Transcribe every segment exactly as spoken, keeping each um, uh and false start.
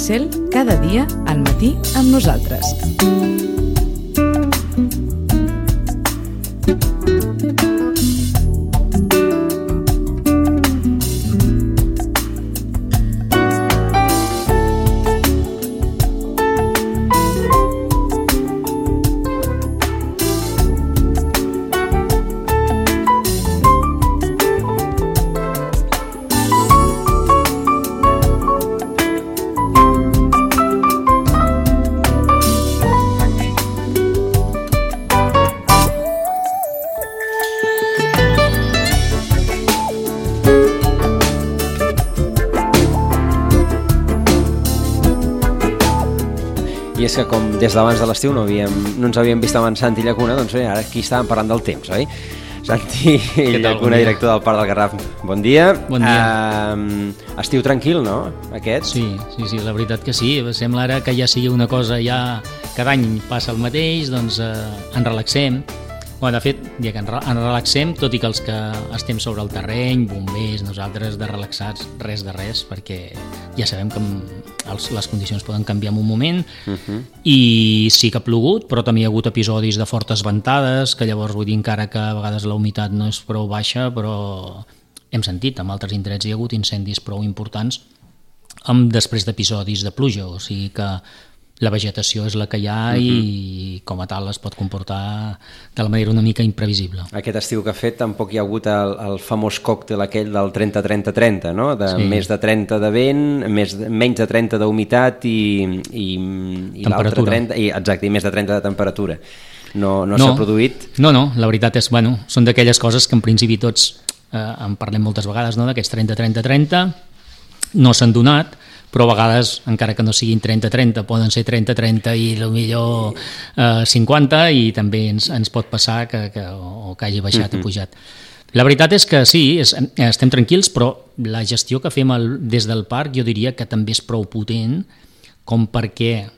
Cel, cada dia al matí amb nosaltres. I és que com des d'abans de l'estiu no, havíem, no ens havíem vist amb en Santi Llacuna, doncs bé, ara aquí estàvem parlant del temps, oi? Santi Llacuna, director del Parc del Garraf, bon dia. Bon dia. Uh, estiu tranquil, no, aquest? Sí, sí, sí, la veritat que sí. Sembla ara que ja sigui una cosa, ja cada any passa el mateix, doncs eh, ens relaxem. Bueno, de fet, ja que ens relaxem, tot i que els que estem sobre el terreny, bombers, nosaltres de relaxats, res de res, perquè ja sabem que els, les condicions poden canviar en un moment, uh-huh. I sí que ha plogut, però també hi ha hagut episodis de fortes ventades, que llavors vull dir encara que a vegades la humitat no és prou baixa, però hem sentit, en altres indrets hi ha hagut incendis prou importants amb després d'episodis de pluja, o sigui que la vegetació és la que hi ha, uh-huh. I com a tal es pot comportar de la manera una mica imprevisible. Aquest estiu que ha fet tampoc hi ha hagut el, el famós còctel aquell del trenta trenta trenta, no? De sí. Més de trenta de vent, més, menys de trenta d'humitat i, i, i l'altre trenta, i, exacte, i més de trenta de temperatura. No, no, no s'ha produït? No, no, la veritat és, bueno, són d'aquelles coses que en principi tots eh, en parlem moltes vegades, no? D'aquests trenta trenta trenta, no s'han donat, però a vegades, encara que no siguin trenta trenta, poden ser trenta trenta i potser eh, cinquanta, i també ens, ens pot passar que, que, o que hagi baixat uh-huh. o pujat. La veritat és que sí, és, estem tranquils, però la gestió que fem el, des del parc jo diria que també és prou potent com perquè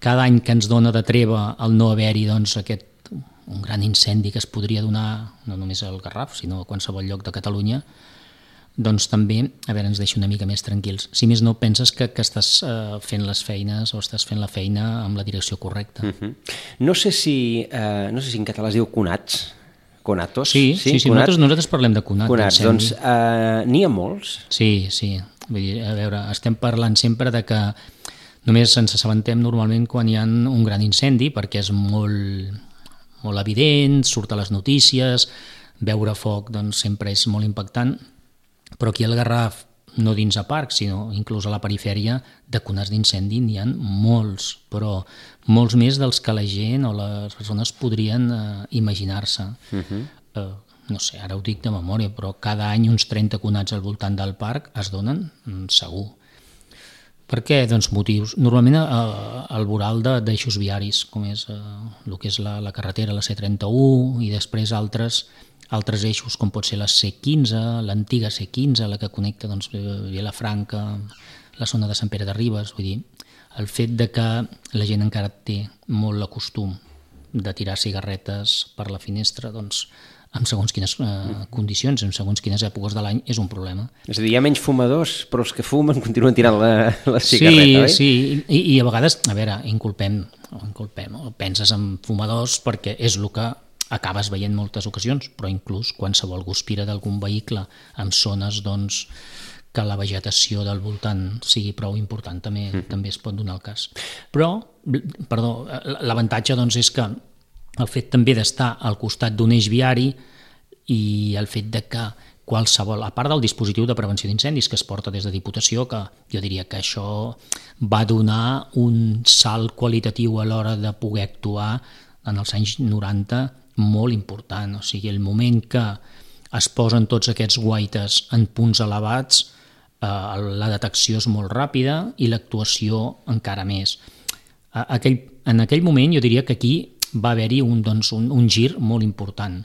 cada any que ens dona de treva el no haver-hi doncs, aquest, un gran incendi que es podria donar no només al Garraf, sinó a qualsevol lloc de Catalunya, doncs també, a veure, ens deixa una mica més tranquils. Si més no, penses que, que estàs uh, fent les feines o estàs fent la feina amb la direcció correcta. Uh-huh. No sé si uh, no sé si en català es diu conats, conatos. Sí, sí, sí, sí nosaltres, nosaltres parlem de conat. Conats, doncs uh, n'hi ha molts? Sí, sí. Vull dir, a veure, estem parlant sempre de que només ens assabentem normalment quan hi ha un gran incendi, perquè és molt, molt evident, surt a les notícies, veure foc doncs, sempre és molt impactant. Però aquí al Garraf, no dins a parc, sinó inclús a la perifèria, de conats d'incendi n'hi ha molts, però molts més dels que la gent o les persones podrien eh, imaginar-se. Uh-huh. Eh, no sé, ara ho dic de memòria, però cada any uns trenta conats al voltant del parc es donen, segur. Per què? Doncs motius. Normalment eh, el voral d'eixos viaris, com és eh, el que és la, la carretera, la C trenta-u, i després altres altres eixos com pot ser la C quinze, l'antiga C quinze, la que connecta doncs, Vilafranca, la zona de Sant Pere de Ribes. Vull dir, el fet de que la gent encara té molt el costum de tirar cigarretes per la finestra, doncs, en segons quines eh, condicions, en segons quines èpoques de l'any, és un problema. És a dir, hi ha menys fumadors, però els que fumen continuen tirant la, la cigarreta, oi? Sí, sí, I, i a vegades, a veure, inculpem, inculpem, penses en fumadors perquè és el que acabes veient moltes ocasions, però inclús qualsevol guspira d'algun vehicle en zones doncs, que la vegetació del voltant sigui prou important, també, mm-hmm. també es pot donar el cas. Però, perdó, l'avantatge doncs, és que el fet també d'estar al costat d'un eix viari i el fet de que qualsevol, a part del dispositiu de prevenció d'incendis que es porta des de Diputació, que jo diria que això va donar un salt qualitatiu a l'hora de poder actuar en els anys noranta molt important, o sigui, el moment que es posen tots aquests guaites en punts elevats, eh, la detecció és molt ràpida i l'actuació encara més. Aquell, en aquell moment jo diria que aquí va haver-hi un, doncs, un, un gir molt important.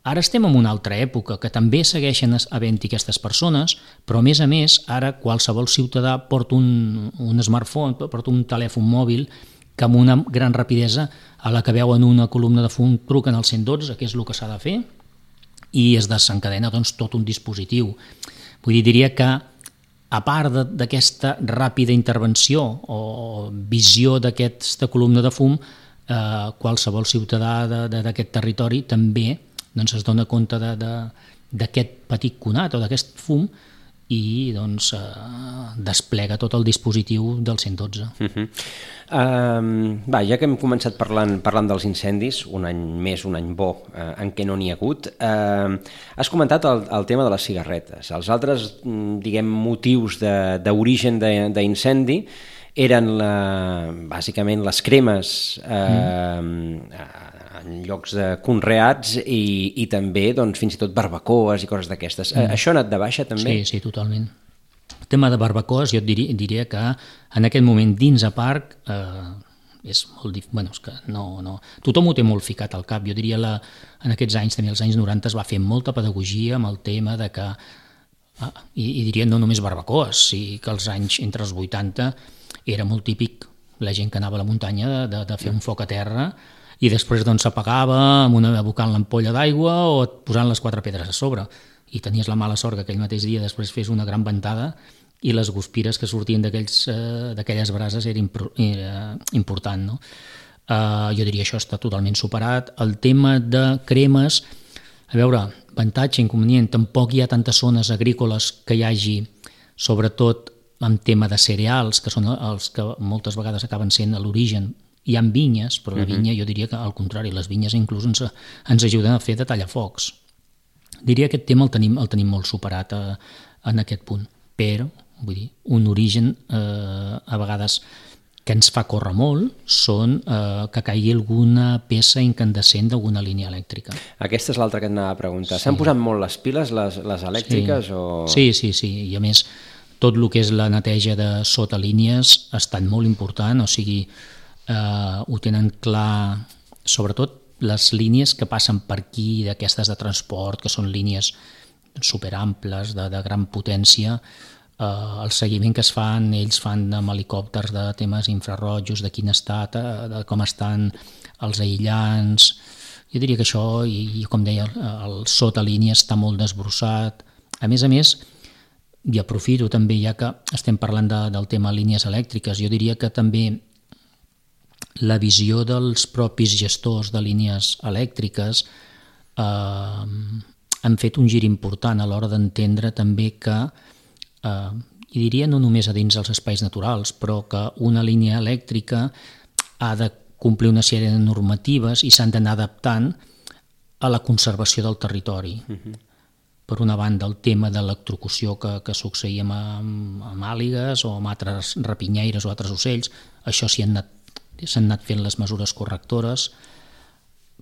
Ara estem en una altra època que també segueixen havent-hi aquestes persones, però a més a més ara qualsevol ciutadà porta un, un smartphone, porta un telèfon mòbil que amb una gran rapidesa a la que veuen una columna de fum truquen al cent dotze, que és el que s'ha de fer, i es desencadena doncs, tot un dispositiu. Vull dir, diria que a part d'aquesta ràpida intervenció o visió d'aquesta columna de fum, eh, qualsevol ciutadà d'aquest territori també doncs, es dona compte d'aquest petit conat o d'aquest fum i doncs, eh, desplega tot el dispositiu del cent dotze. Uh -huh. uh, va, ja que hem començat parlant, parlant dels incendis, un any més, un any bo, uh, en què no n'hi ha hagut, uh, has comentat el, el tema de les cigarretes. Els altres, diguem, motius d'origen d'incendi eren la, bàsicament les cremes eh, mm. en llocs de conreats i, i també doncs, fins i tot barbacoes i coses d'aquestes. Mm. Això ha anat de baixa també? Sí, sí, totalment. El tema de barbacoes jo et diria, diria que en aquest moment dins a Parc eh, és molt difícil, bueno, és que no, no, tothom ho té molt ficat al cap. Jo diria la, en aquests anys, també als anys noranta, es va fer molta pedagogia amb el tema de que, ah, i, i diria no només barbacoes, sí que als anys entre els vuitanta era molt típic la gent que anava a la muntanya de, de fer un foc a terra i després doncs s'apagava amb una abocant l'ampolla d'aigua o posant les quatre pedres a sobre i tenies la mala sort que aquell mateix dia després fes una gran ventada i les guspires que sortien d'aquelles eh, brases era, impro, era important, no? Uh, jo diria això està totalment superat. El tema de cremes, a veure, avantatge, inconvenient, tampoc hi ha tantes zones agrícoles que hi hagi, sobretot en tema de cereals, que són els que moltes vegades acaben sent a l'origen. Hi ha vinyes, però la vinya jo diria que al contrari, les vinyes inclús ens, ens ajuden a fer de tallafocs. Diria que aquest tema el tenim, el tenim molt superat a, en aquest punt, però vull dir, un origen eh, a vegades que ens fa córrer molt són eh, que caigui alguna peça incandescent d'alguna línia elèctrica. Aquesta és l'altra que et anava a preguntar. S'han sí. posat molt les piles, les, les elèctriques? Sí. O... sí, sí, sí, i a més tot el que és la neteja de sota línies ha estat molt important, o sigui, eh, ho tenen clar, sobretot les línies que passen per aquí, d'aquestes de transport, que són línies superamples, de, de gran potència, eh, el seguiment que es fan, ells fan amb helicòpters de temes infrarrojos, de quin estat, eh, de com estan els aïllants. Jo diria que això, i, i com deia, el, el sota línia està molt desbrossat. A més a més, i aprofito també, ja que estem parlant de, del tema línies elèctriques, jo diria que també la visió dels propis gestors de línies elèctriques eh, han fet un gir important a l'hora d'entendre també que, eh, i diria no només a dins dels espais naturals, però que una línia elèctrica ha de complir una sèrie de normatives i s'han d'anar adaptant a la conservació del territori. Uh-huh. Per una banda, el tema de l'electrocució que, que succeïa amb, amb àligues o amb altres rapinyaires o altres ocells, això s'hi han anat s'han anat fent les mesures correctores.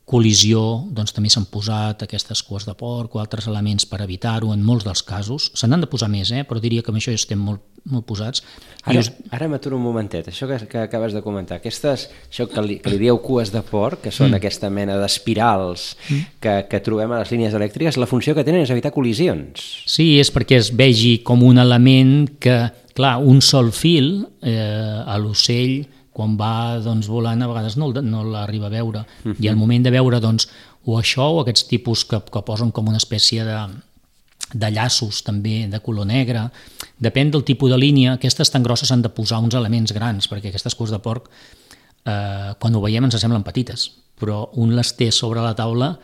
Col·lisió, doncs també s'han posat aquestes cues de porc o altres elements per evitar-ho en molts dels casos. Se n'han de posar més, eh? Però diria que amb això ja estem molt, molt posats. Ara, us... ara m'aturo un momentet, això que, que acabes de comentar, aquestes, això que li, que li dieu cues de porc, que són mm. aquesta mena d'espirals mm. que, que trobem a les línies elèctriques, la funció que tenen és evitar col·lisions. Sí, és perquè es vegi com un element que, clar, un sol fil eh, a l'ocell quan va doncs, volant a vegades no, no l'arriba a veure uh-huh. i al moment de veure doncs, o això o aquests tipus que, que posen com una espècie de, de llaços també de color negre, depèn del tipus de línia, aquestes tan grosses han de posar uns elements grans perquè aquestes cues de porc eh, quan ho veiem ens semblen petites, però un les té sobre la taula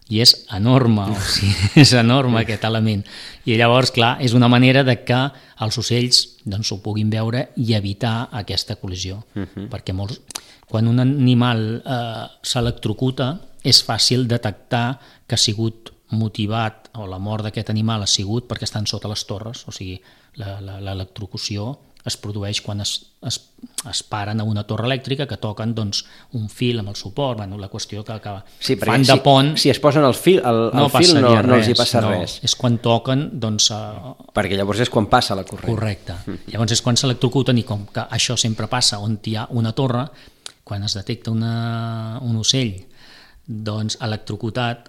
i és enorme, o sigui, és enorme aquest element. I llavors, clar, és una manera de que els ocells doncs, ho puguin veure i evitar aquesta col·lisió. Uh-huh. Perquè molts, quan un animal eh, s'electrocuta, és fàcil detectar que ha sigut motivat, o la mort d'aquest animal ha sigut perquè estan sota les torres, o sigui, l'electrocució es produeix quan es, es, es paren a una torre elèctrica que toquen doncs, un fil amb el suport, bueno, la qüestió que acaba. Sí, fan de si, pont... Si es posen el fil, el, el no fil no, no els hi passa no, res. És quan toquen... Doncs, uh... Perquè llavors és quan passa la corrent. Correcte. Mm. Llavors és quan s'electrocuten i com que això sempre passa on hi ha una torre, quan es detecta una, un ocell doncs electrocutat,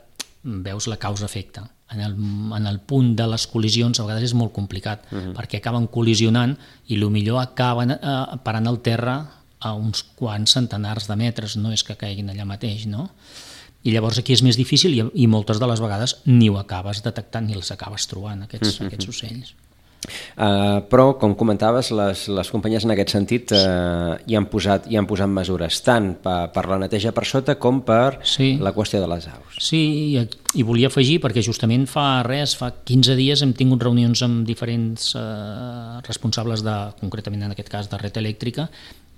veus la causa-efecte. En el, en el punt de les col·lisions a vegades és molt complicat uh-huh. perquè acaben col·lisionant i potser acaben eh, parant al terra a uns quants centenars de metres, no és que caiguin allà mateix, no? I llavors aquí és més difícil i, i moltes de les vegades ni ho acabes detectant ni els acabes trobant, aquests, uh-huh. aquests ocells. Uh, però, com comentaves, les, les companyies en aquest sentit uh, hi, han posat, hi han posat mesures, tant per, per la neteja per sota com per sí. la qüestió de les aus. Sí, i, i volia afegir, perquè justament fa res, fa quinze dies hem tingut reunions amb diferents uh, responsables, de, concretament en aquest cas de Red Elèctrica,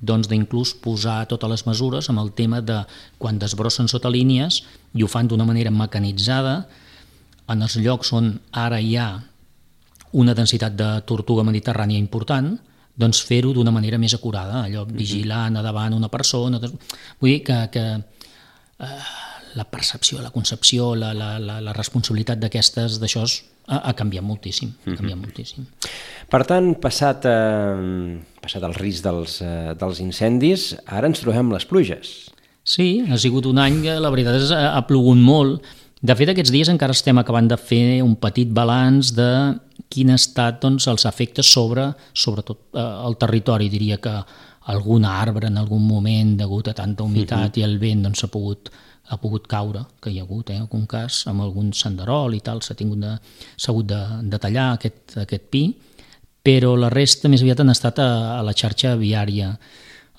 doncs d'inclús posar totes les mesures amb el tema de quan desbrossen sota línies i ho fan d'una manera mecanitzada en els llocs on ara hi ha una densitat de tortuga mediterrània important, doncs fer-ho d'una manera més acurada, allò vigilant a davant una persona. Vull dir que, que eh, la percepció, la concepció, la, la, la, la responsabilitat d'aquestes, d'això ha, ha canviat moltíssim, ha canviat mm-hmm. moltíssim. Per tant, passat, eh, passat el risc dels, eh, dels incendis, ara ens trobem les pluges. Sí, ha sigut un any que la veritat és ha plogut molt. De fet, aquests dies encara estem acabant de fer un petit balanç de quin ha estat doncs, els efectes sobre, sobretot eh, el territori. Diria que algun arbre en algun moment, degut a tanta humitat uh-huh. i el vent, doncs, s'ha pogut, ha pogut caure, que hi ha hagut eh, algun cas, amb algun senderol i tal, s'ha tingut de, s'ha hagut de, de tallar aquest, aquest pi, però la resta més aviat han estat a, a la xarxa viària,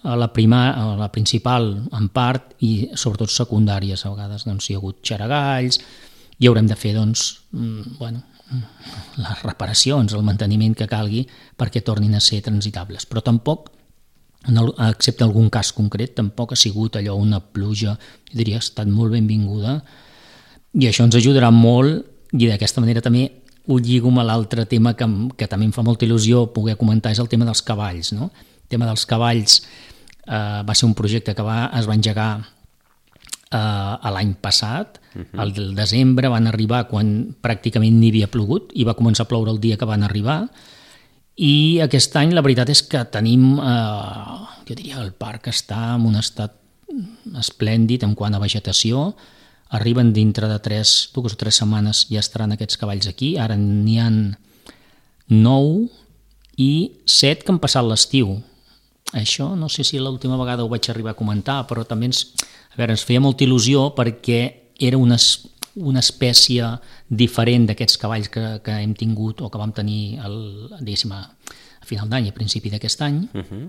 a la, prima, a la principal en part i sobretot secundàries a vegades doncs, hi ha hagut xaragalls i haurem de fer doncs, bueno, les reparacions, el manteniment que calgui perquè tornin a ser transitables, però tampoc, excepte algun cas concret, tampoc ha sigut allò una pluja, jo diria que ha estat molt benvinguda i això ens ajudarà molt i d'aquesta manera també ho lligo amb l'altre tema que, que també em fa molta il·lusió poder comentar, és el tema dels cavalls, no? El tema dels cavalls Uh, va ser un projecte que va, es va engegar uh, l'any passat, uh-huh. al desembre van arribar quan pràcticament ni havia plogut i va començar a ploure el dia que van arribar i aquest any la veritat és que tenim, uh, jo diria que el parc està en un estat esplèndid en quant a vegetació, arriben dintre de tres, dues o tres setmanes ja estaran aquests cavalls aquí, ara n'hi ha nou i set que han passat l'estiu. Això no sé si l'última vegada ho vaig arribar a comentar, però també ens, a veure, ens feia molta il·lusió perquè era una, una espècie diferent d'aquests cavalls que, que hem tingut o que vam tenir el, diguéssim, a, a final d'any, a principi d'aquest any, uh-huh.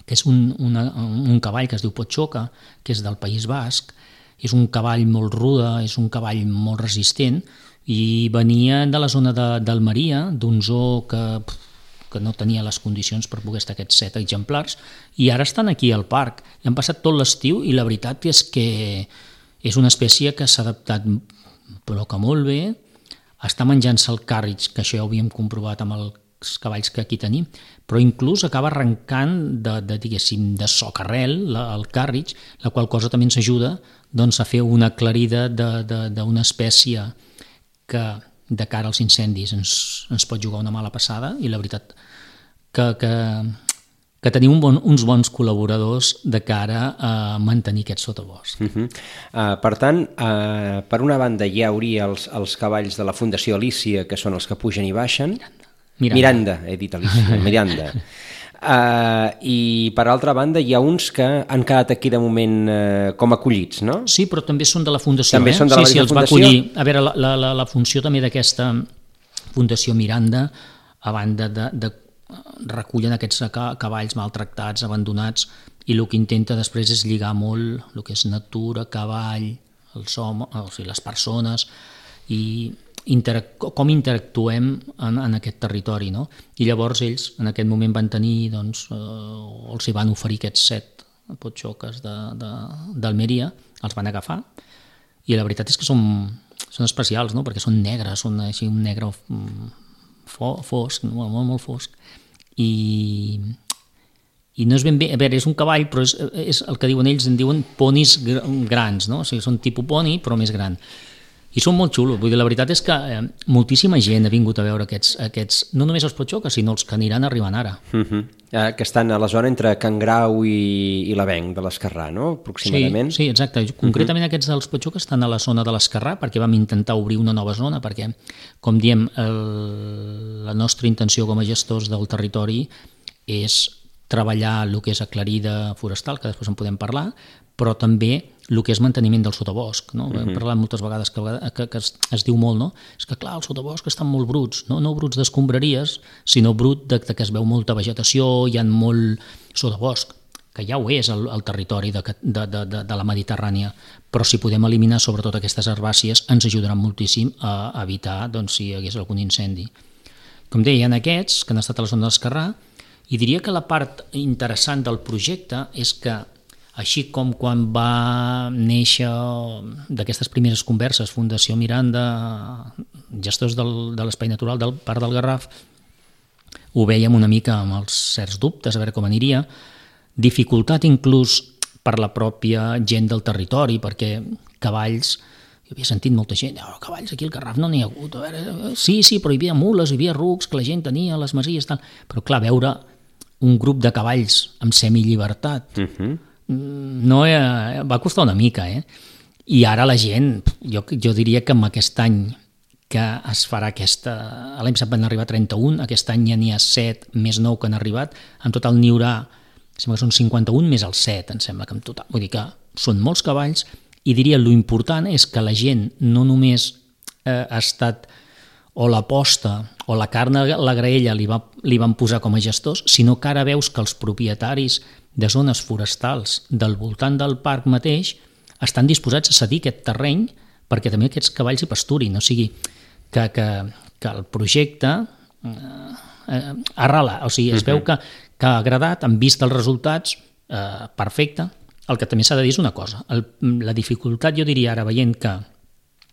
que és un, una, un cavall que es diu Potxoca, que és del País Basc, és un cavall molt rude, és un cavall molt resistent i venia de la zona de, d'Almeria, d'un zoo que... que no tenia les condicions per poder estar aquests set exemplars, i ara estan aquí al parc. I han passat tot l'estiu i la veritat és que és una espècie que s'ha adaptat però que molt bé, està menjant-se el càrrig, que això ja ho havíem comprovat amb els cavalls que aquí tenim, però inclús acaba arrencant de, de, diguéssim, de socarrel la, el càrrig, la qual cosa també ens ajuda doncs, a fer una aclarida d'una espècie que de cara als incendis ens, ens pot jugar una mala passada i la veritat que, que, que tenim un bon, uns bons col·laboradors de cara a mantenir aquest sotabosc. Uh-huh. uh, per tant, uh, per una banda hi hauria els, els cavalls de la Fundació Alícia, que són els que pugen i baixen. Miranda, Miranda, he dit Alícia, Miranda. Uh, I per altra banda hi ha uns que han quedat aquí de moment uh, com acollits, no? Sí, però també són de la Fundació. També eh? són de la sí, sí, els Fundació? Va acollir. A veure, la, la, la funció també d'aquesta Fundació Miranda, a banda de, de recullen aquests cavalls maltractats, abandonats, i el que intenta després és lligar molt el que és natura, cavall, els homes, o sigui, les persones, i Interac com interactuem en, en aquest territori, no? I llavors ells en aquest moment van tenir, doncs, eh, els hi van oferir aquests set potxoques d'Almeria, els van agafar i la veritat és que són, són especials, no? Perquè són negres, són així un negre fo fosc, molt, molt, molt fosc i, i no és ben bé, a veure, és un cavall però és, és el que diuen ells, en diuen ponis grans, no? O sigui, són tipus poni però més gran. I són molt xulos, vull dir, la veritat és que eh, moltíssima gent ha vingut a veure aquests, aquests no només els potxoques, sinó els que aniran arribant ara. Uh -huh. eh, que estan a la zona entre Can Grau i, i l'Avenc de l'Esquerrà, no? Aproximadament. Sí, sí, exacte. Concretament uh -huh. aquests dels potxoques estan a la zona de l'Esquerrà perquè vam intentar obrir una nova zona, perquè, com diem, el, la nostra intenció com a gestors del territori és treballar el que és aclarida forestal, que després en podem parlar, però també el que és manteniment del sotabosc. No? Uh-huh. Hem parlat moltes vegades que, que, que es, es diu molt, no? És que clar, els sotaboscs estan molt bruts, no, no bruts d'escombraries, sinó brut de, de que es veu molta vegetació, hi ha molt sotabosc, que ja ho és el, el territori de, de, de, de la Mediterrània, però si podem eliminar sobretot aquestes herbàcies ens ajudaran moltíssim a evitar doncs, si hi hagués algun incendi. Com deia, en aquests que han estat a la zona d'Esquerrà, i diria que la part interessant del projecte és que, així com quan va néixer d'aquestes primeres converses Fundació Miranda, gestors del, de l'Espai Natural del Parc del Garraf, ho vèiem una mica amb els certs dubtes, a veure com aniria, dificultat inclús per la pròpia gent del territori, perquè cavalls, jo havia sentit molta gent, oh, cavalls aquí al Garraf no n'hi ha hagut, a veure, sí, sí, però hi havia mules, hi havia rucs que la gent tenia a les masies, tal. Però clar, veure un grup de cavalls amb semillibertat, uh-huh. no eh, va costar una mica, eh? I ara la gent, jo, jo diria que amb aquest any que es farà aquesta... L'any passat van arribar trenta-un, aquest any ja n'hi ha set més nou que han arribat, en total n'hi haurà, sembla que són cinquanta-un més el set, em sembla que en total. Vull dir que són molts cavalls i diria lo important és que la gent no només eh, ha estat o l'aposta o la carn a la graella li, va, li van posar com a gestors, sinó que ara veus que els propietaris de zones forestals del voltant del parc mateix estan disposats a cedir aquest terreny perquè també aquests cavalls hi pasturin, o sigui que, que, que el projecte eh, eh, arrala, o sigui, es uh-huh. veu que que ha agradat, han vist els resultats, eh, perfecte. El que també s'ha de dir és una cosa, el, la dificultat jo diria ara veient que,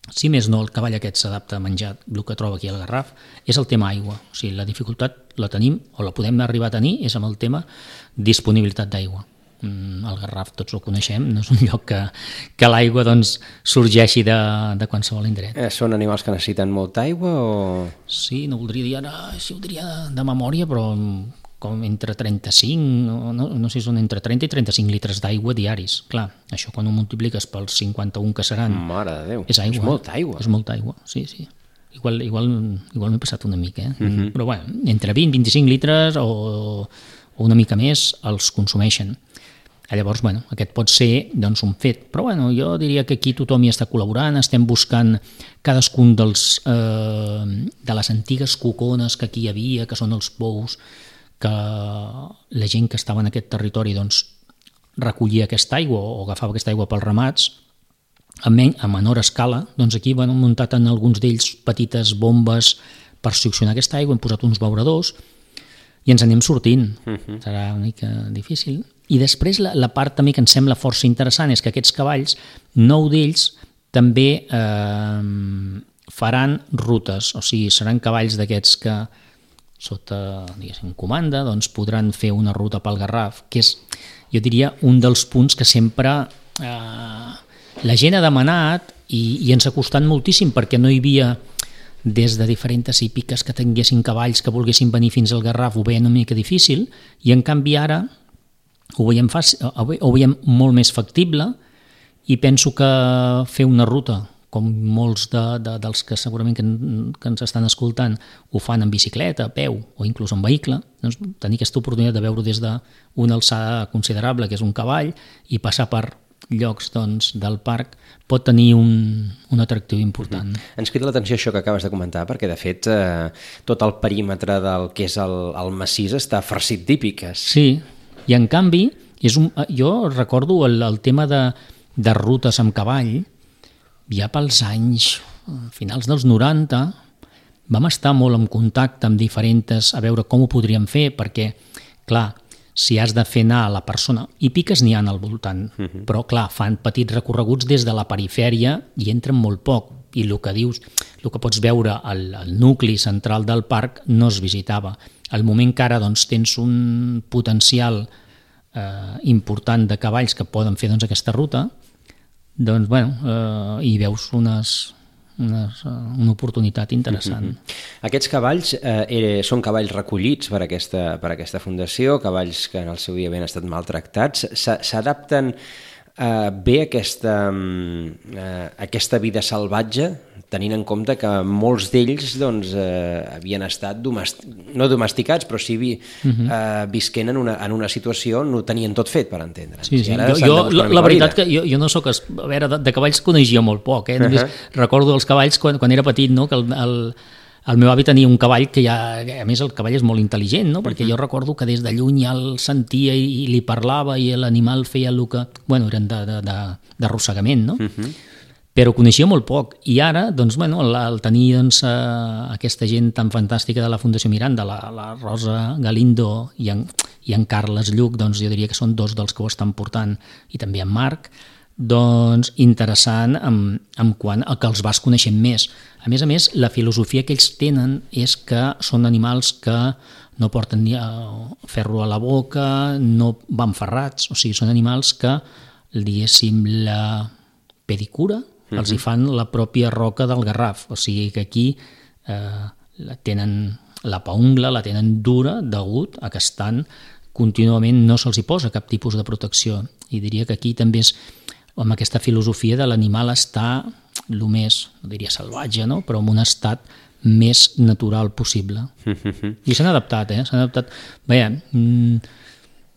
si més no el cavall aquest s'adapta a menjar el que troba aquí al Garraf, és el tema aigua. O sigui, la dificultat la tenim, o la podem arribar a tenir, és amb el tema disponibilitat d'aigua. El Garraf tots ho coneixem, no és un lloc que, que l'aigua doncs, sorgeixi de, de qualsevol indret. Eh, són animals que necessiten molta aigua o...? Sí, no voldria dir ara, sí ho diria de, de memòria, però com entre trenta-cinc, no, no sé si són entre trenta i trenta-cinc litres d'aigua diaris. Clar, això quan ho multipliques pels cinquanta-un que seran... Mare de Déu, és, aigua, és molta aigua. És molta aigua, sí, sí. Igual, igual, igual m'he passat una mica, eh? Uh-huh. Però bueno, entre vint i vint-i-cinc litres o, o una mica més els consumeixen. Llavors, bueno, aquest pot ser doncs, un fet. Però bueno, jo diria que aquí tothom hi està col·laborant, estem buscant cadascun dels, eh, de les antigues cocones que aquí hi havia, que són els pous, que la gent que estava en aquest territori doncs, recollia aquesta aigua o agafava aquesta aigua pels ramats a, men a menor escala, doncs aquí van muntat en alguns d'ells petites bombes per succionar aquesta aigua, hem posat uns beuradors i ens anem sortint. Uh-huh. Serà una mica difícil. I després la, la part també que ens sembla força interessant és que aquests cavalls, nou d'ells també eh, faran rutes, o sigui, seran cavalls d'aquests que sota, diguéssim, comanda, doncs podran fer una ruta pel Garraf, que és, jo diria, un dels punts que sempre eh, la gent ha demanat i, i ens ha costat moltíssim perquè no hi havia, des de diferents hípiques que tinguessin cavalls que volguessin venir fins al Garraf, ho veien una mica difícil, i en canvi ara ho veiem, fàcil, ho veiem molt més factible i penso que fer una ruta com molts de, de, dels que segurament que, que ens estan escoltant ho fan en bicicleta, a peu o inclús en vehicle, doncs tenir aquesta oportunitat de veure des d'una alçada considerable, que és un cavall, i passar per llocs doncs, del parc pot tenir un, un atractiu important. Mm-hmm. Ens crida l'atenció això que acabes de comentar, perquè de fet eh, tot el perímetre del que és el, el massís està farcit d'hípiques. Sí, i en canvi, és un, jo recordo el, el tema de, de rutes amb cavall. Ja pels anys finals dels noranta vam estar molt en contacte amb diferents a veure com ho podríem fer, perquè, clar, si has de fer anar a la persona, i piques n'hi ha al voltant, uh-huh. però, clar, fan petits recorreguts des de la perifèria i entren molt poc, i el que dius, el que pots veure al, al nucli central del parc no es visitava. Al moment que ara doncs, tens un potencial eh, important de cavalls que poden fer doncs, aquesta ruta, doncs, bueno, eh, hi veus unes, unes, una oportunitat interessant. Mm-hmm. Aquests cavalls eh, són cavalls recollits per aquesta, per aquesta fundació, cavalls que en el seu dia havien estat maltractats, s'adapten eh, ve aquesta, eh, aquesta vida salvatge, tenint en compte que molts d'ells doncs, eh, havien estat domest... no domesticats, però sí vi... uh-huh. eh, visquent en una, en una situació on ho tenien tot fet, per entendre. Sí, sí. Jo, jo, la, la veritat que jo, jo no soc... A veure, de, de cavalls coneixia molt poc, eh? Només uh-huh. recordo els cavalls quan, quan era petit, no? Que el, el, el meu avi tenia un cavall que ja... A més, el cavall és molt intel·ligent, no? Perquè uh-huh. jo recordo que des de lluny ja el sentia i, i li parlava i l'animal feia el que... Bueno, eren d'arrossegament, no? Uh-huh. Però coneixia molt poc, i ara, doncs, bueno, el, el tenir doncs, eh, aquesta gent tan fantàstica de la Fundació Miranda, la, la Rosa Galindo i en, i en Carles Lluc, doncs jo diria que són dos dels que ho estan portant, i també en Marc, doncs interessant en, en quant a que els vas coneixent més. A més a més, la filosofia que ells tenen és que són animals que no porten ni ferro a la boca, no van ferrats, o sigui, són animals que, diguéssim, la pedicura, Uh-huh. els hi fan la pròpia roca del Garraf, o sigui que aquí eh, la tenen la paungla, la tenen dura degut a que estan contínuament, no se'ls hi posa cap tipus de protecció, i diria que aquí també és amb aquesta filosofia de l'animal estar el més, no diria salvatge, no? Però en un estat més natural possible. Uh-huh. I s'han adaptat, eh? S'han adaptat. Veia,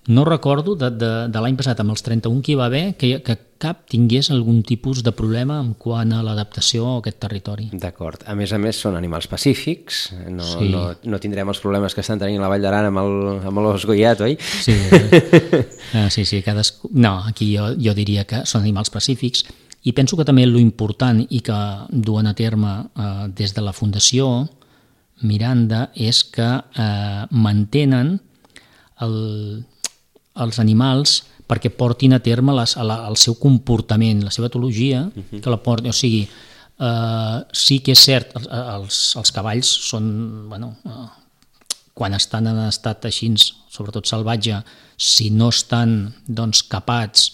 no recordo de, de, de l'any passat amb els trenta-un que hi va haver que, que cap tingués algun tipus de problema en quant a l'adaptació a aquest territori. D'acord. A més a més són animals pacífics, no, sí. no, no tindrem els problemes que estan tenint la Vall d'Aran amb, el, amb l'os Goiat, oi? Sí, uh, sí, sí, cadascú... No, aquí jo, jo diria que són animals pacífics, i penso que també lo important i que duen a terme uh, des de la Fundació Miranda és que uh, mantenen el, els animals perquè portin a terme les, la, el seu comportament, la seva etologia, uh-huh. que la portin, o sigui, eh, sí que és cert, els, els cavalls són, bueno, eh, quan estan en estat així, sobretot salvatge, si no estan doncs, capats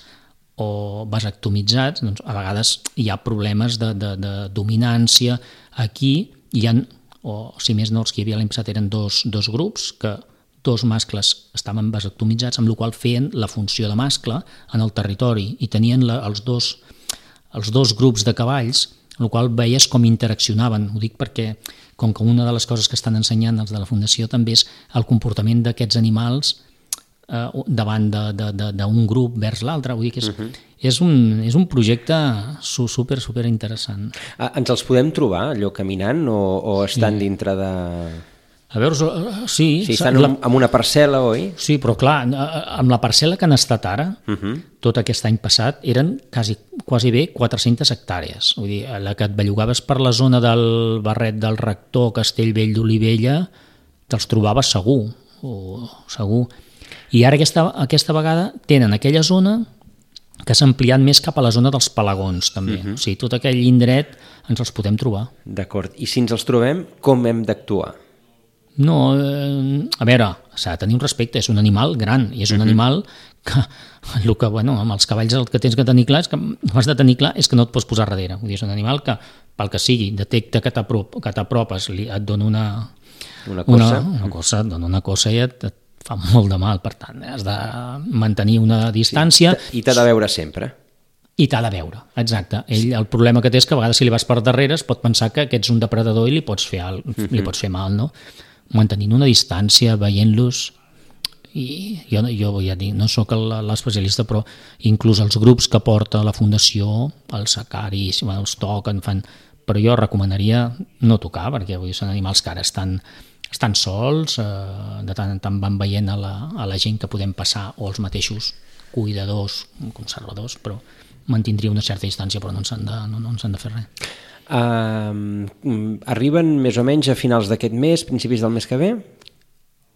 o vasectomitzats, doncs, a vegades hi ha problemes de, de, de dominància. Aquí hi ha, o si més no, els que hi havia l'any passat eren dos, dos grups que dos mascles estaven vasectomitzats, amb la qual feien la funció de mascle en el territori i tenien la, els, dos, els dos grups de cavalls, amb la qual veies com interaccionaven. Ho dic perquè, com que una de les coses que estan ensenyant els de la Fundació també és el comportament d'aquests animals eh, davant d'un grup vers l'altre. Vull dir que és, uh-huh. és, un, és un projecte super, super interessant. Ah, ens els podem trobar, allò caminant, o, o estan sí. dintre de... A veure, sí... Sí, estan la... en una parcel·la, oi? Sí, però clar, amb la parcel·la que han estat ara, uh-huh. tot aquest any passat, eren quasi, quasi bé quatre-centes hectàrees. Vull dir, la que et bellugaves per la zona del Barret del Rector, Castellvell d'Olivella, te'ls trobaves segur, o segur. I ara aquesta, aquesta vegada tenen aquella zona que s'ha ampliat més cap a la zona dels Palagons, també. Uh-huh. O sigui, tot aquell indret ens els podem trobar. D'acord. I si ens els trobem, com hem d'actuar? No, eh, a veure, s'ha de tenir un respecte, és un animal gran i és un uh-huh. animal que, el que, bueno, amb els cavalls el que tens que tenir clar és que has de tenir clar és que no et pots posar darrere. Vull dir, és un animal que, pel que sigui, detecta que t'apropes, et dona una, una cosa, una, una cosa, et dona una cosa i et, et fa molt de mal, per tant, has de mantenir una distància. Sí, i t'ha de veure sempre. I t'ha de veure, exacte. Ell, el problema que té és que a vegades si li vas per darrere es pot pensar que, que ets un depredador i li pots fer, al, uh-huh. li pots fer mal, no? Mantenint una distància, veient-los, i jo, jo ja dic, no sóc l'especialista, però inclús els grups que porta la Fundació, els sacaris, els toquen, fan... però jo recomanaria no tocar, perquè vull dir, són animals que ara estan, estan sols, eh, de tant en tant van veient a la, a la gent que podem passar, o els mateixos cuidadors, conservadors, però mantindria una certa distància, però no ens han de, no, no ens han de fer res. Uh, arriben més o menys a finals d'aquest mes, principis del mes que ve?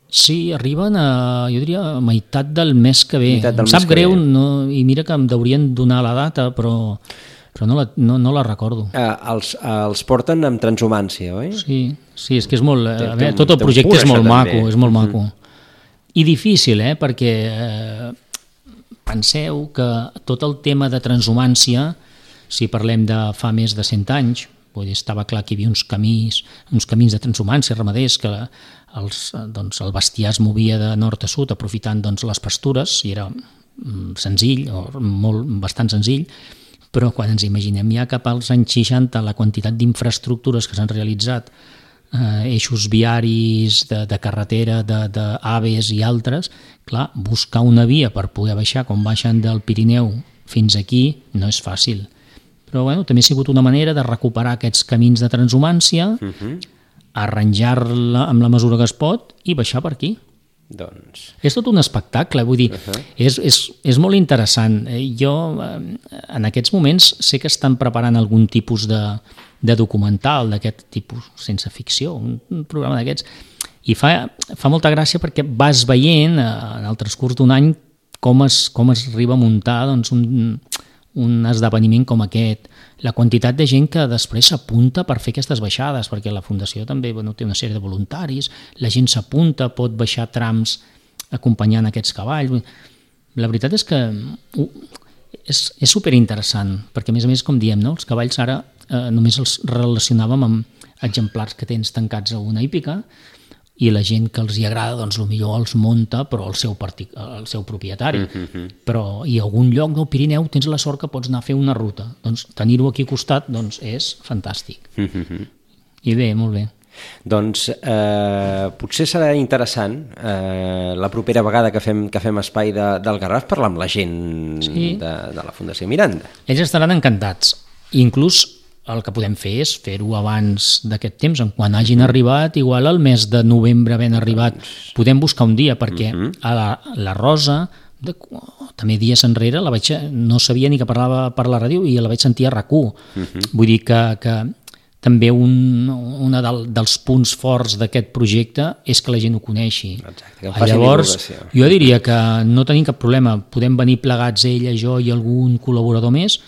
Sí, arriben a, jo diria, a meitat del mes que ve. Em sap greu, no, i mira que em deurien donar la data, però, però no, la, no, no la recordo. Uh, els, uh, els porten amb transhumància, oi? Sí, sí, és que és molt... A veure, tot el projecte és molt maco, és molt maco. Mm. I difícil, eh, perquè eh, penseu que tot el tema de transhumància, si parlem de fa més de cent anys, vull dir, estava clar que hi havia uns camins, uns camins de transhumància ramaders, que els, doncs, el bestiar es movia de nord a sud aprofitant doncs, les pastures, i era senzill, o molt, bastant senzill, però quan ens imaginem ja cap als anys seixanta la quantitat d'infraestructures que s'han realitzat, eh, eixos viaris de, de carretera, d'AVEs i altres, clar, buscar una via per poder baixar, com baixen del Pirineu fins aquí, no és fàcil. Però bueno, també ha sigut una manera de recuperar aquests camins de transhumància, uh-huh. arranjar-la amb la mesura que es pot i baixar per aquí. Doncs... És tot un espectacle, vull dir, uh-huh. és, és, és molt interessant. Jo, en aquests moments, sé que estan preparant algun tipus de, de documental d'aquest tipus, sense ficció, un, un programa d'aquests, i fa, fa molta gràcia perquè vas veient, en el transcurs d'un any, com es, com es arriba a muntar doncs, un, un esdeveniment com aquest, la quantitat de gent que després s'apunta per fer aquestes baixades, perquè la Fundació també bueno, té una sèrie de voluntaris, la gent s'apunta, pot baixar trams acompanyant aquests cavalls. La veritat és que és, és superinteressant, perquè a més a més, com diem, no? Els cavalls ara eh, només els relacionàvem amb exemplars que tens tancats a una hípica, i la gent que els hi agrada, doncs potser els munta, però el seu, partic... el seu propietari. Mm-hmm. Però i a algun lloc del Pirineu tens la sort que pots anar a fer una ruta. Doncs tenir-ho aquí al costat doncs, és fantàstic. Mm-hmm. I bé, molt bé. Doncs eh, potser serà interessant eh, la propera vegada que fem, que fem espai de, del Garraf parlar amb la gent sí. de, de la Fundació Miranda. Ells estaran encantats. Inclús el que podem fer és fer-ho abans d'aquest temps, quan hagin arribat, igual al mes de novembre havent arribat, podem buscar un dia, perquè uh-huh. a la, la Rosa, de, oh, també dies enrere, la vaig, no sabia ni que parlava per la ràdio i la vaig sentir a RAC u. Uh-huh. Vull dir que, que també un, un del, dels punts forts d'aquest projecte és que la gent ho coneixi. Exacte, que faci Llavors, divulgació. Jo diria que no tenim cap problema, podem venir plegats ella, jo i algun col·laborador més,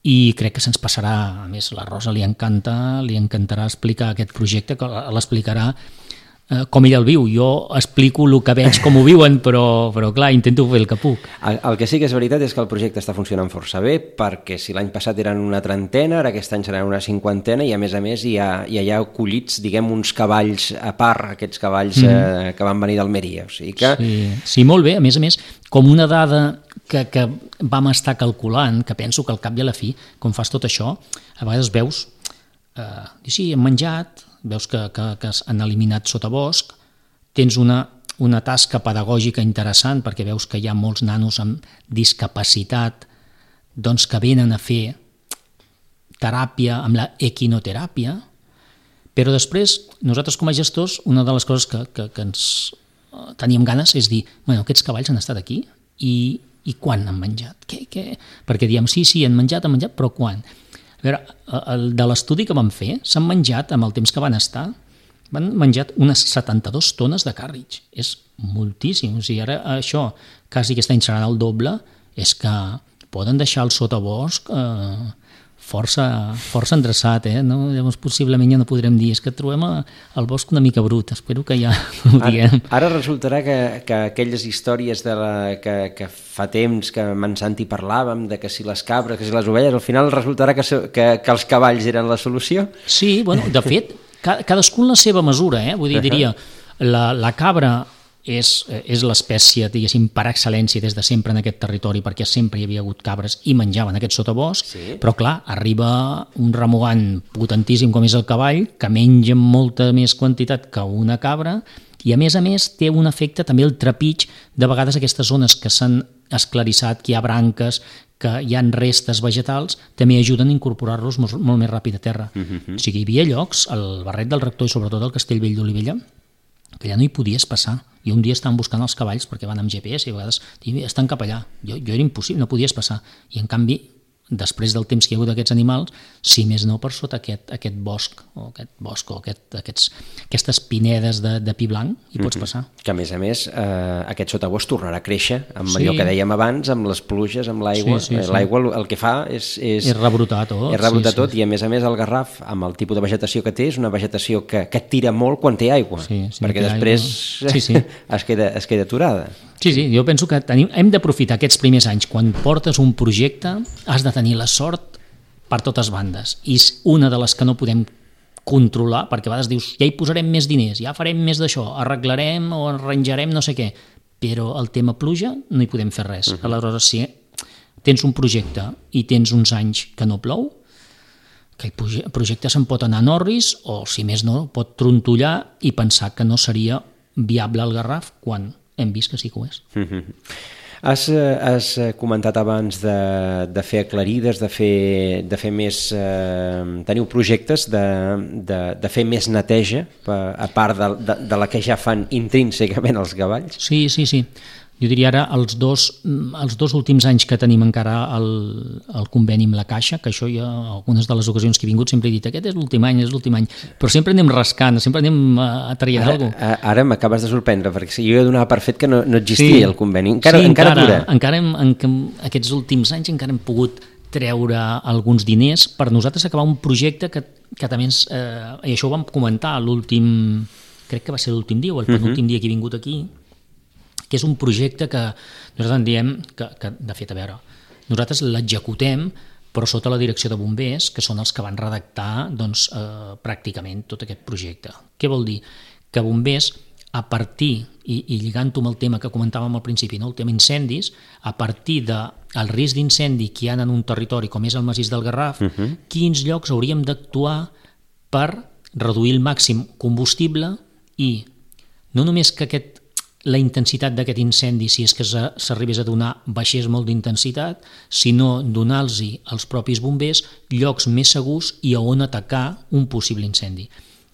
i crec que se'ns passarà, a més la Rosa li encanta, li encantarà explicar aquest projecte, que l'explicarà eh, com ell el viu. Jo explico el que veig com ho viuen, però, però clar, intento fer el que puc. El, el que sí que és veritat és que el projecte està funcionant força bé, perquè si l'any passat eren una trentena, ara aquest any seran una cinquantena, i a més a més hi ha, hi ha collits, diguem, uns cavalls a part, aquests cavalls mm. eh, que van venir d'Almeria. O sigui que... sí, sí, molt bé, a més a més, com una dada que, que vam estar calculant, que penso que al cap i a la fi, com fas tot això, a vegades veus, eh, sí, hem menjat, veus que, que, que han eliminat sotabosc, tens una, una tasca pedagògica interessant, perquè veus que hi ha molts nanos amb discapacitat doncs que venen a fer teràpia amb la equinoteràpia, però després, nosaltres com a gestors, una de les coses que, que, que ens teníem ganes és dir, bueno, aquests cavalls han estat aquí i i quan han menjat? Què, què? Perquè diem, sí, sí, han menjat, han menjat, però quan? A veure, el, de l'estudi que vam fer, s'han menjat, amb el temps que van estar, van menjat unes setanta-dues tones de càrrix. És moltíssim. O sigui, ara això, quasi aquest any serà el doble, és que poden deixar el sotabosc eh, força, força endreçat, eh? No? Llavors possiblement ja no podrem dir, és que trobem el bosc una mica brut, espero que ja ho diguem. Ara, ara resultarà que, que aquelles històries de la, que, que fa temps que amb en Santi parlàvem, de que si les cabres, que si les ovelles, al final resultarà que, que, que els cavalls eren la solució? Sí, bueno, de fet, cadascun la seva mesura, eh? Vull dir, diria, la, la cabra és, és l'espècie, diguéssim, per excel·lència des de sempre en aquest territori, perquè sempre hi havia hagut cabres i menjaven aquest sotabosc, sí. Però clar, arriba un remugant potentíssim com és el cavall, que menja molta més quantitat que una cabra, i a més a més té un efecte també el trepig, de vegades aquestes zones que s'han esclarissat, que hi ha branques, que hi ha restes vegetals, també ajuden a incorporar-los molt, molt més ràpid a terra. Uh-huh. O sigui, hi havia llocs, al Barret del Rector i sobretot al Castellvell d'Olivella, que ja no hi podies passar. I un dia estaven buscant els cavalls perquè van amb G P S i a vegades estan cap allà. Jo, jo era impossible, no podies passar. I en canvi, després del temps que hi ha hagut d'aquests animals, si més no per sota aquest, aquest bosc, o aquest bosc, o aquest, aquests, aquestes pinedes de, de pi blanc, hi pots passar. Mm-hmm. Que a més a més, eh, aquest sotabosc tornarà a créixer, amb sí. allò que dèiem abans, amb les pluges, amb l'aigua. Sí, sí, sí. L'aigua el que fa és... És, és rebrotar tot. És rebrotar sí, tot, sí. I a més a més el Garraf, amb el tipus de vegetació que té, és una vegetació que, que tira molt quan té aigua, sí, sí, perquè després sí, sí. es, queda, es queda aturada. Sí, sí, jo penso que tenim, hem d'aprofitar aquests primers anys. Quan portes un projecte, has de tenir la sort per totes bandes. I és una de les que no podem controlar, perquè a vegades dius, ja hi posarem més diners, ja farem més d'això, arreglarem o arranjarem no sé què. però el tema pluja no hi podem fer res. Uh-huh. Aleshores, si tens un projecte i tens uns anys que no plou, que el projecte se'n pot anar a Norris o, si més no, pot trontollar i pensar que no seria viable el Garraf quan hem vist que sí que ho és. Uh-huh. Has, has comentat abans de, de fer aclarides, de fer, de fer més... Eh, teniu projectes de, de, de fer més neteja, a part de, de, de la que ja fan intrínsecament els cavalls? Sí, sí, sí. Jo diria ara els dos, els dos últims anys que tenim encara el, el conveni amb la Caixa, que això ja algunes de les ocasions que he vingut sempre he dit aquest és l'últim any, és l'últim any, però sempre anem rascant, sempre anem a traient alguna cosa. Ara m'acabes de sorprendre, perquè jo he donat per fet que no, no existia sí. el conveni. Encara, sí, encara, encara, encara hem, en, aquests últims anys encara hem pogut treure alguns diners per nosaltres acabar un projecte que, que també ens... Eh, i això ho vam comentar l'últim... crec que va ser l'últim dia o el penúltim uh-huh. dia que he vingut aquí, que és un projecte que nosaltres en diem que, que de fet, a veure, nosaltres l'executem però sota la direcció de bombers, que són els que van redactar doncs, eh, pràcticament tot aquest projecte. Què vol dir? Que bombers, a partir, i, i lligant-ho amb el tema que comentàvem al principi, no? El tema incendis, a partir del risc d'incendi que hi ha en un territori com és el massís del Garraf, uh-huh. quins llocs hauríem d'actuar per reduir el màxim combustible i no només que aquest la intensitat d'aquest incendi, si és que s'arribés a donar, baixés molt d'intensitat, sinó donar-los als propis bombers llocs més segurs i a on atacar un possible incendi.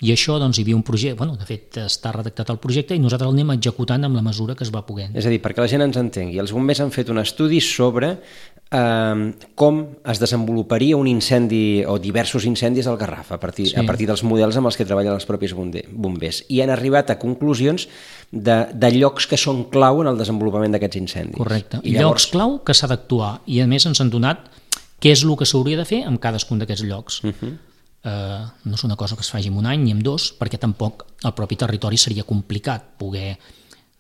I això, doncs, hi havia un projecte, bueno, de fet, està redactat el projecte i nosaltres el anem executant amb la mesura que es va poguent. És a dir, perquè la gent ens entengui, els bombers han fet un estudi sobre eh, com es desenvoluparia un incendi o diversos incendis al Garraf a partir, sí. a partir dels models amb els que treballen els propis bombers i han arribat a conclusions de, de llocs que són clau en el desenvolupament d'aquests incendis. Correcte, I llavors... llocs clau que s'ha d'actuar i a més ens han donat què és el que s'hauria de fer en cadascun d'aquests llocs. Uh-huh. Uh, no és una cosa que es faci en un any ni en dos, perquè tampoc el propi territori seria complicat poder,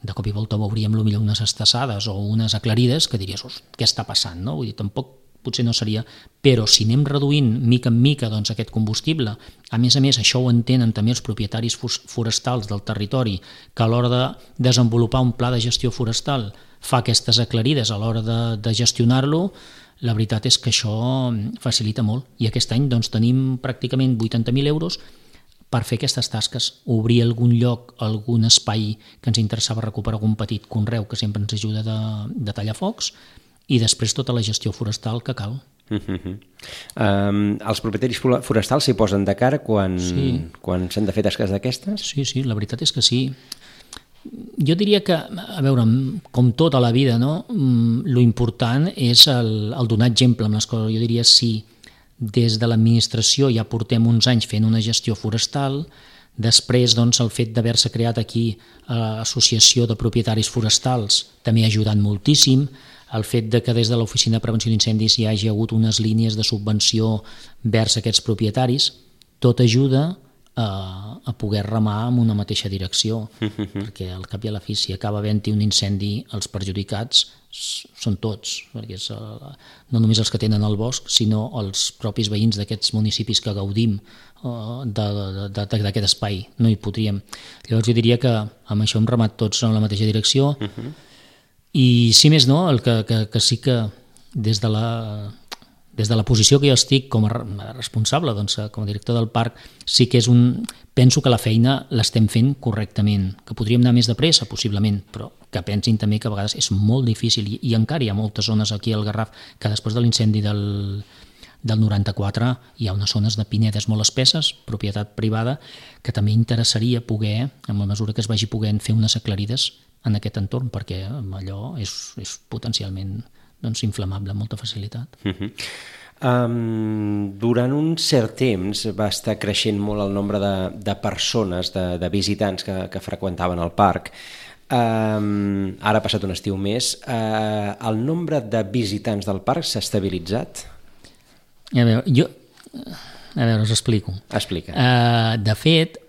de cop i volta veuríem potser unes estassades o unes aclarides que diries, què està passant, no? Vull dir, tampoc potser no seria, però si anem reduint mica en mica doncs, aquest combustible, a més a més això ho entenen també els propietaris forestals del territori, que a l'hora de desenvolupar un pla de gestió forestal fa aquestes aclarides a l'hora de, de gestionar-lo, la veritat és que això facilita molt i aquest any doncs, tenim pràcticament vuitanta mil euros per fer aquestes tasques, obrir algun lloc, algun espai que ens interessava recuperar algun petit conreu que sempre ens ajuda de, de tallar focs i després tota la gestió forestal que cal. Uh-huh. Um, els propietaris forestals s'hi posen de cara quan, sí. quan s'han de fer tasques d'aquestes? Sí, sí, la veritat és que sí. Jo diria que, a veure, com tota la vida, no? Lo important és el, el donar exemple amb les coses. Jo diria si des de l'administració ja portem uns anys fent una gestió forestal, després doncs, el fet d'haver-se creat aquí l'associació de propietaris forestals també ha ajudat moltíssim, el fet de que des de l'Oficina de Prevenció d'Incendis hi hagi hagut unes línies de subvenció vers aquests propietaris, tot ajuda a, a poder remar en una mateixa direcció, uh-huh. perquè al cap i a la fi si acaba havent-hi un incendi, els perjudicats són tots, perquè és, no només els que tenen el bosc, sinó els propis veïns d'aquests municipis que gaudim uh, d'aquest espai, no hi podríem. Llavors jo diria que amb això hem remat tots en la mateixa direcció, uh-huh. i si més no, el que, que, que sí que des de la... Des de la posició que jo estic com a responsable, doncs, com a director del parc, sí que és un... penso que la feina l'estem fent correctament, que podríem anar més de pressa, possiblement, però que pensin també que a vegades és molt difícil i, i encara hi ha moltes zones aquí al Garraf que després de l'incendi del, del noranta-quatre hi ha unes zones de pinedes molt espesses, propietat privada, que també interessaria poder, en la mesura que es vagi podent, fer unes aclarides en aquest entorn, perquè allò és, és potencialment... doncs inflamable amb molta facilitat. Uh-huh. Um, durant un cert temps va estar creixent molt el nombre de, de persones, de, de visitants que, que freqüentaven el parc. Um, ara ha passat un estiu més. Uh, el nombre de visitants del parc s'ha estabilitzat? A veure, jo... A veure, us explico. Explica. Uh, de fet,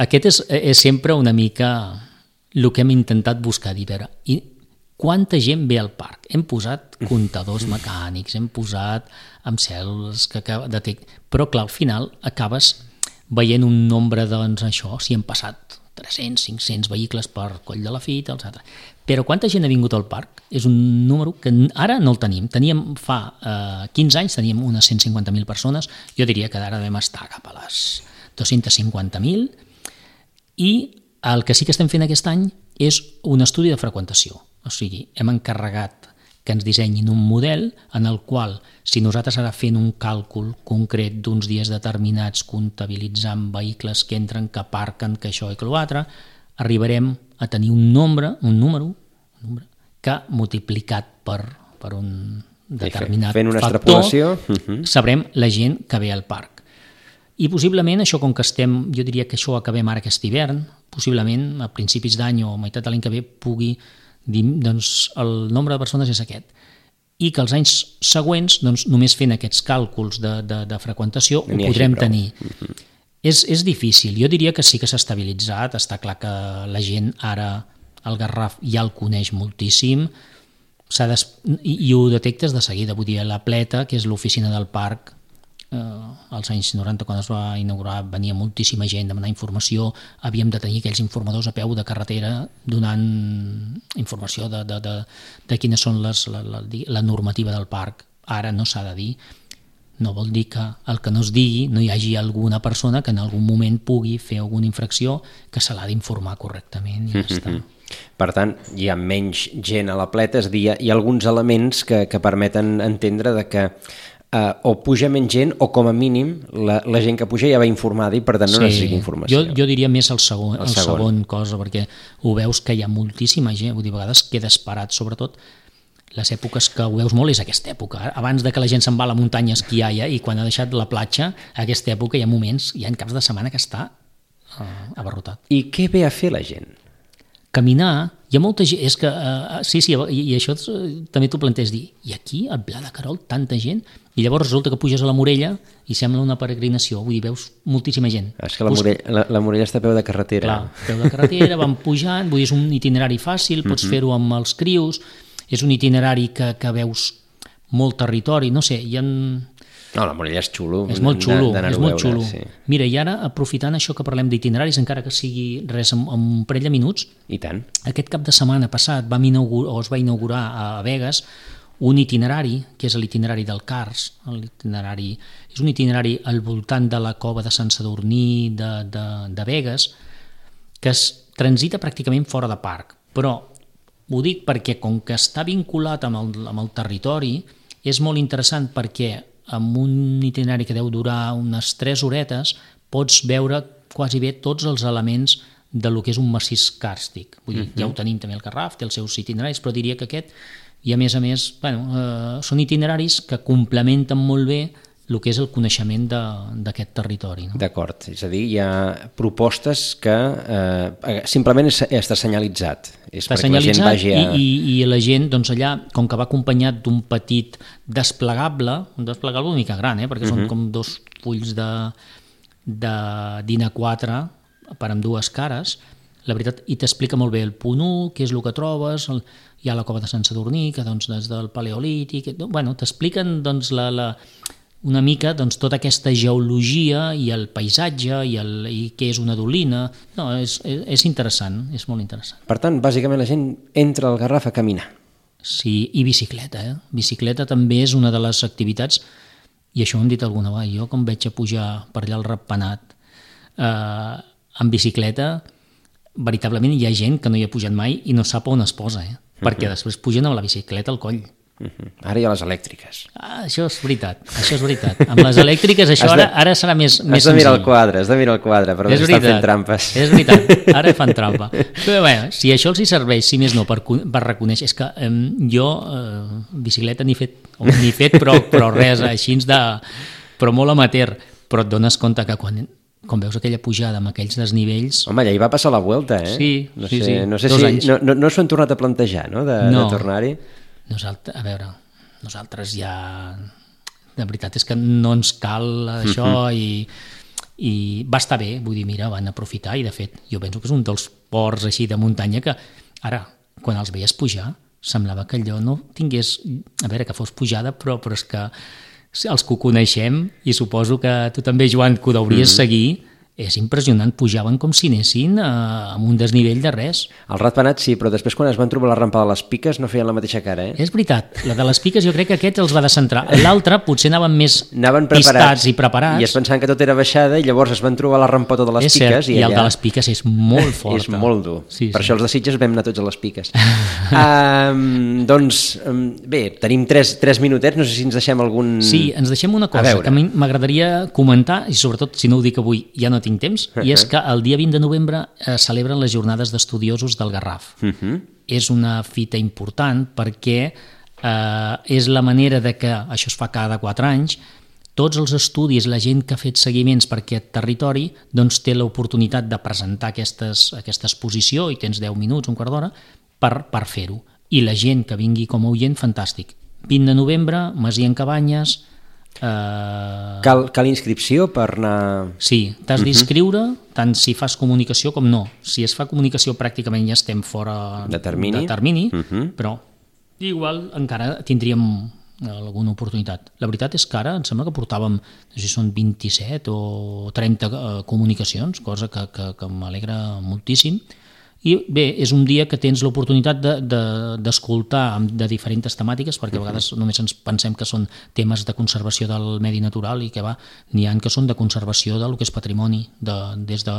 aquest és, és sempre una mica el que hem intentat buscar, dir, veure, i quanta gent ve al parc? Hem posat comptadors mecànics, hem posat amb cèl·lules que detecten... Però, clar, al final acabes veient un nombre, doncs, això, si han passat tres-cents, cinc-cents vehicles per Coll de la Fita, etcètera. Però quanta gent ha vingut al parc? És un número que ara no el tenim. Teníem fa eh, quinze anys, teníem unes cent cinquanta mil persones, jo diria que ara devem estar cap a les dos-cents cinquanta mil, i el que sí que estem fent aquest any és un estudi de freqüentació. O sigui, hem encarregat que ens dissenyin un model en el qual, si nosaltres ara fent un càlcul concret d'uns dies determinats, comptabilitzant vehicles que entren, que aparquen, que això i que l'altre, arribarem a tenir un nombre, un número, un número que multiplicat per, per un determinat fent una factor, extrapolació, uh-huh. sabrem la gent que ve al parc. I possiblement això, com que estem, jo diria que això acabem ara aquest hivern, possiblement a principis d'any o a meitat de l'any que ve pugui dir, doncs el nombre de persones és aquest. I que els anys següents, doncs, només fent aquests càlculs de, de, de freqüentació, ho podrem tenir. Uh-huh. És, és difícil. Jo diria que sí que s'ha estabilitzat. Està clar que la gent ara, el Garraf, ja el coneix moltíssim, s'ha des... I, i ho detectes de seguida. Vull dir, la Pleta, que és l'oficina del parc, eh, als anys noranta, quan es va inaugurar, venia moltíssima gent a demanar informació, havíem de tenir aquells informadors a peu de carretera donant informació de, de, de, de quines són les, la, la, la normativa del parc. Ara no s'ha de dir. No vol dir que el que no es digui no hi hagi alguna persona que en algun moment pugui fer alguna infracció que se l'ha d'informar correctament i ja està. Per tant, hi ha menys gent a la Pleta, és a dir, hi ha alguns elements que, que permeten entendre de que eh, o puja menys gent o com a mínim la, la gent que puja ja va informada i per tant no sí, necessita informació. Jo, jo diria més el segon, el, el segon. segon cosa, perquè ho veus que hi ha moltíssima gent, vull dir, a vegades quedes parat, sobretot les èpoques que ho veus molt és aquesta època. Abans de que la gent se'n va a la muntanya a esquiar ja, i quan ha deixat la platja, aquesta època hi ha moments, hi ha caps de setmana que està uh, abarrotat. I què ve a fer la gent? Caminar, hi ha molta gent, és que, uh, sí, sí, i, i això uh, també t'ho planteges dir, i aquí, al Pla de Querol, tanta gent, i llavors resulta que puges a la Morella i sembla una peregrinació, vull dir, veus moltíssima gent. És que la, Morella, la, la Morella està a peu de carretera. Clar, peu de carretera, van pujant, vull dir, és un itinerari fàcil, pots mm-hmm. fer-ho amb els crius, és un itinerari que, que veus molt territori, no sé, hi ha... No, la Morella és xulo. És molt xulo, és molt veure, xulo. Sí. Mira, i ara, aprofitant això que parlem d'itineraris, encara que sigui res en, en un parell de minuts, i tant. Aquest cap de setmana passat vam inaugurar, o es va inaugurar a Begues un itinerari, que és l'itinerari del Cars. L'itinerari és un itinerari al voltant de la cova de Sant Sadurní de, de, de Begues, que es transita pràcticament fora de parc, però ho dic perquè com que està vinculat amb el, amb el territori, és molt interessant perquè amb un itinerari que deu durar unes tres horetes pots veure quasi bé tots els elements de lo que és un massís càrstic. Vull dir, uh-huh. ja ho tenim també el Garraf, té els seus itineraris, però diria que aquest, i a més a més, bueno, eh, són itineraris que complementen molt bé el que és el coneixement d'aquest territori. No? D'acord, és a dir, hi ha propostes que eh, simplement està senyalitzat. És està senyalitzat la gent vagi a... i, i, i la gent, doncs allà, com que va acompanyat d'un petit desplegable, un desplegable una mica gran, eh, perquè uh-huh. són com dos fulls de, de d'I N A quatre per amb dues cares, la veritat, i t'explica molt bé el punt u, què és el que trobes, el, hi ha la cova de Sant Sadurní, que doncs, des del Paleolític, bueno, t'expliquen doncs, la... la una mica doncs, tota aquesta geologia i el paisatge i, el, i què és una dolina. No, és, és interessant, és molt interessant. Per tant, bàsicament la gent entra al Garraf a caminar. Sí, i bicicleta. Eh? Bicicleta també és una de les activitats, i això ho hem dit alguna vegada, jo com veig a pujar per allà al Ratpenat eh, amb bicicleta, veritablement hi ha gent que no hi ha pujat mai i no sap on es posa, eh? uh-huh. perquè després pugen amb la bicicleta al coll. Uh-huh. Ara hi ha les elèctriques. Ah, això és veritat, això és veritat. Amb les elèctriques això de, ara, ara serà més, més senzill. Has de mirar el quadre, has de mirar el quadre, però és estan fent trampes. És veritat, ara fan trampa. Però bé, si això els hi serveix, si més no, per, per reconèixer, és que eh, jo eh, bicicleta n'he fet, n'he fet però, però res, així de, però molt amateur, però et dones compte que quan... quan veus aquella pujada amb aquells desnivells... Home, ja hi va passar la Vuelta, eh? Sí, no sí, sé, sí. No sé Dos si anys. No, no, no s'ho han tornat a plantejar, no?, de, no. de tornar-hi. Nosaltres, a veure, nosaltres ja... La veritat és que no ens cal això uh-huh. i, i va estar bé, vull dir, mira, van aprofitar i de fet jo penso que és un dels ports així de muntanya que ara, quan els veies pujar, semblava que allò no tingués... A veure, que fos pujada, però, però és que els que ho coneixem, i suposo que tu també, Joan, que ho hauries mm-hmm. seguir, és impressionant, pujaven com si anessin a, a un desnivell de res. El ratpenat sí, però després quan es van trobar la rampa de les piques no feien la mateixa cara, eh? És veritat, la de les piques jo crec que aquest els va descentrar. L'altre potser anaven més anaven pistats i preparats. I es pensaven que tot era baixada i llavors es van trobar la rampota de les és piques. Cert, i, i el allà... de les piques és molt fort. És molt dur. Sí, per sí. això els de Sitges vam anar tots a les piques. um, doncs, um, bé, tenim tres, tres minutets, no sé si ens deixem algun... Sí, ens deixem una cosa que a mi m'agradaria comentar, i sobretot, si no ho dic avui, ja no tinc temps, uh -huh. i és que el dia vint de novembre eh, celebren les jornades d'estudiosos del Garraf. Uh -huh. És una fita important perquè eh, és la manera de que, això es fa cada quatre anys, tots els estudis, la gent que ha fet seguiments per aquest territori, doncs té l'oportunitat de presentar aquestes, aquesta exposició, i tens deu minuts, un quart d'hora, per, per fer-ho. I la gent que vingui com a oient, fantàstic. vint de novembre, Masia en Cabanyes... Uh... Cal, cal inscripció per anar... Sí, t'has uh-huh. d'inscriure tant si fas comunicació com no. Si es fa comunicació pràcticament ja estem fora de termini, de termini uh-huh. però igual encara tindríem alguna oportunitat. La veritat és que ara em sembla que portàvem, no sé si són vint-i-set o trenta uh, comunicacions, cosa que, que, que m'alegra moltíssim. I bé, és un dia que tens l'oportunitat d'escoltar de, de, de diferents temàtiques, perquè a vegades només ens pensem que són temes de conservació del medi natural i que va, n'hi ha que són de conservació del que és patrimoni. De, des de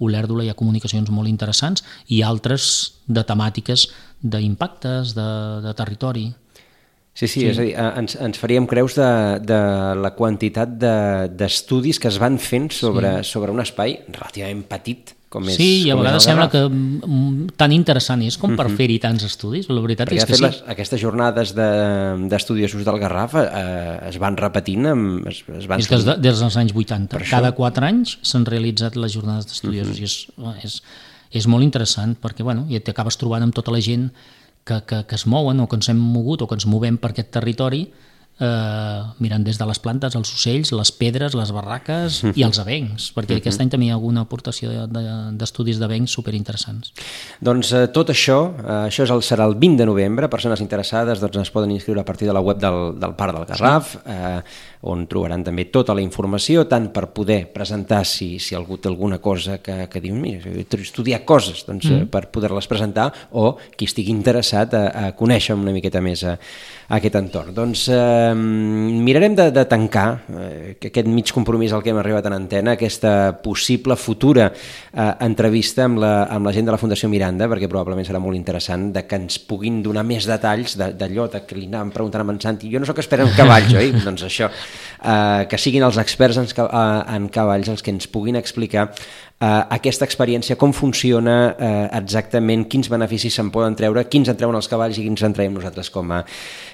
Olèrdola hi ha comunicacions molt interessants i altres de temàtiques d'impactes, de, de territori. Sí, sí, sí, és a dir, ens, ens faríem creus de, de la quantitat d'estudis de, que es van fent sobre, sí. sobre un espai relativament petit, com és, sí, i a vegades sembla que tan interessant és com per uh-huh. fer-hi tants estudis. La veritat perquè és que sí. Les, aquestes jornades d'estudiosos de, del Garraf eh, es van repetint. Amb, es, es van és des, de, des dels anys vuitanta. Per Cada això... quatre anys s'han realitzat les jornades d'estudiosos uh-huh. i és, és, és molt interessant perquè bueno, ja t'acabes trobant amb tota la gent que, que, que es mouen o que ens hem mogut o que ens movem per aquest territori, eh, mirant des de les plantes, els ocells, les pedres, les barraques uh-huh. i els avencs, perquè uh-huh. aquest any també hi ha alguna aportació d'estudis d'avencs superinteressants. Doncs eh, tot això, eh, això és el, serà el vint de novembre, persones interessades doncs, es poden inscriure a partir de la web del, del Parc del Garraf, sí. eh, on trobaran també tota la informació, tant per poder presentar si, si algú té alguna cosa que, que diu, mira, he estudiat coses, doncs, mm. eh, per poder-les presentar, o qui estigui interessat a, a conèixer una miqueta més a, a aquest entorn. Doncs eh, mirarem de, de tancar eh, aquest mig compromís al que hem arribat en antena, aquesta possible futura eh, entrevista amb la, amb la gent de la Fundació Miranda, perquè probablement serà molt interessant de que ens puguin donar més detalls d'allò de, de que li anàvem preguntant amb en Santi. Jo no sóc expert en cavalls, oi? Doncs això, eh, que siguin els experts en, en cavalls els que ens puguin explicar Uh, aquesta experiència, com funciona uh, exactament, quins beneficis se'n poden treure, quins en treuen els cavalls i quins en traiem nosaltres com a,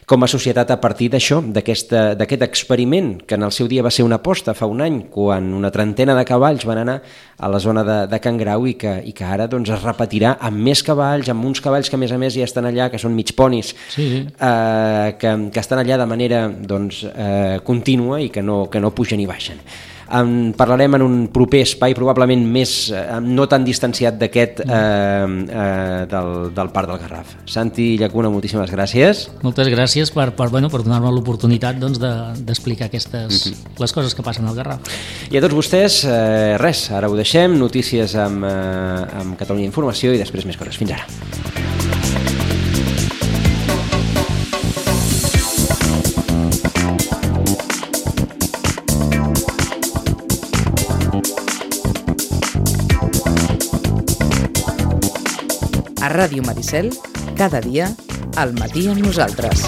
com a societat a partir d'això, d'aquest experiment que en el seu dia va ser una aposta fa un any, quan una trentena de cavalls van anar a la zona de, de Can Grau i que, i que ara doncs, es repetirà amb més cavalls, amb uns cavalls que a més a més ja estan allà, que són mig ponis, sí, sí. Uh, que, que estan allà de manera doncs, uh, contínua i que no, que no pugen i baixen. En parlarem en un proper espai, probablement més, eh, no tan distanciat d'aquest eh, eh, del, del Parc del Garraf. Santi Llacuna, moltíssimes gràcies. Moltes gràcies per, per, bueno, per donar-me l'oportunitat doncs, d'explicar de, aquestes, mm-hmm. les coses que passen al Garraf. I a tots vostès, eh, res, ara ho deixem, notícies amb, eh, amb Catalunya Informació i després més coses. Fins ara. A Ràdio Maricel, cada dia, al matí amb nosaltres.